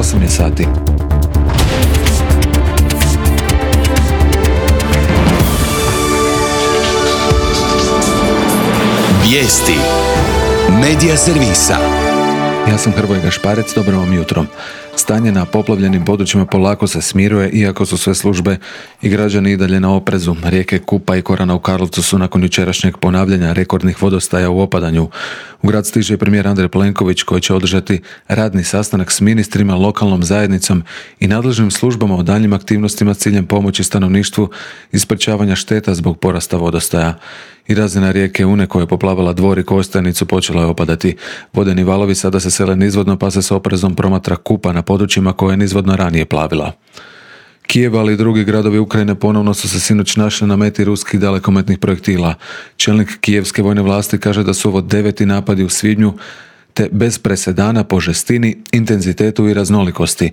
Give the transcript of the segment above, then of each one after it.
8 je sati. Vijesti Medija servisa. Ja sam Hrvoje Gašparec, dobro vam jutro. Stanje na poplavljenim područjima polako se smiruje, iako su sve službe i građani i dalje na oprezu. Rijeke Kupa i Korana u Karlovcu su nakon jučerašnjeg ponavljanja rekordnih vodostaja u opadanju. U grad stiže i premijer Andrej Plenković, koji će održati radni sastanak s ministrima, lokalnom zajednicom i nadležnim službama o daljnjim aktivnostima s ciljem pomoći stanovništvu i sprečavanja šteta zbog porasta vodostaja. I razina rijeke Une, koja je poplavala Dvor i Kostajnicu, počela je opadati. Vodeni valovi sada se sele nizvodno, pa se s oprezom promatra Kupa na područjima koje je nizvodno ranije plavila. Kijev, ali i drugi gradovi Ukrajine ponovno su se sinoć našli na meti ruskih dalekometnih projektila. Čelnik kijevske vojne vlasti kaže da su ovo 9. napadi u svibnju, te bez presedana po žestini, intenzitetu i raznolikosti.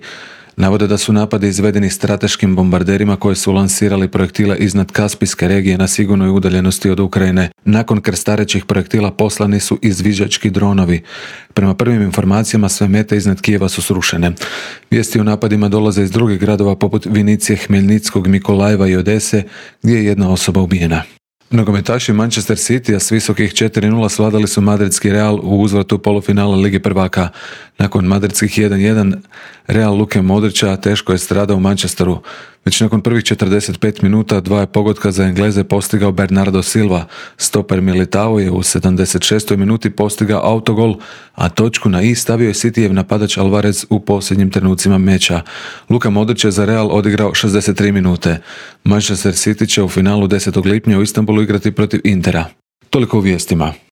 Navode da su napadi izvedeni strateškim bombarderima koji su lansirali projektile iznad Kaspijske regije na sigurnoj udaljenosti od Ukrajine. Nakon krstarećih projektila poslani su izviđački dronovi. Prema prvim informacijama sve mete iznad Kijeva su srušene. Vijesti o napadima dolaze iz drugih gradova poput Vinicije, Hmeljnickog, Mikolajeva i Odese, gdje je jedna osoba ubijena. Nogometaši Manchester Citya s visokih 4:0 svladali su madridski Real u uzvratu polufinala Lige prvaka. Nakon madridskih 1:1 Real Luke Modrića teško je stradao u Manchesteru. Već nakon prvih 45 minuta 2 je pogotka za Engleze postigao Bernardo Silva. Stoper Militao je u 76. minuti postigao autogol, a točku na i stavio je Cityjev napadač Alvarez u posljednjim trenucima meča. Luka Modrić je za Real odigrao 63 minute. Manchester City će u finalu 10. lipnja u Istanbulu igrati protiv Intera. Toliko u vijestima.